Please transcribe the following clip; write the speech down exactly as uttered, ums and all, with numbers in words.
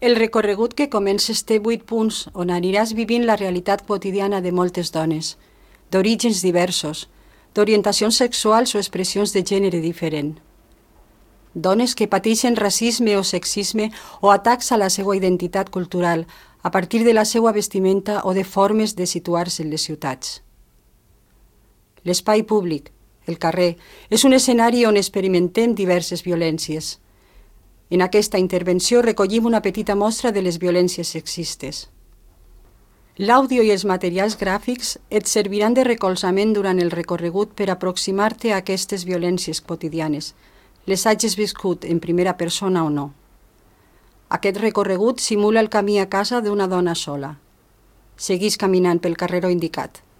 El recorregut que comences té vuit punts on aniràs vivint la realitat quotidiana de moltes dones, d'orígens diversos, d'orientacions sexuals o expressions de gènere diferent. Dones que pateixen racisme o sexisme o atacs a la seva identitat cultural a partir de la seva vestimenta o de formes de situar-se en les ciutats. L'espai públic, el carrer, és un escenari on experimentem diverses violències. En aquesta intervenció recollim una petita mostra de les violències sexistes. L'àudio i els materials gràfics et serviran de recolzament durant el recorregut per aproximar-te a aquestes violències quotidianes, les hagis viscut en primera persona o no. Aquest recorregut simula el camí a casa d'una dona sola. Seguís caminant pel carreró indicat.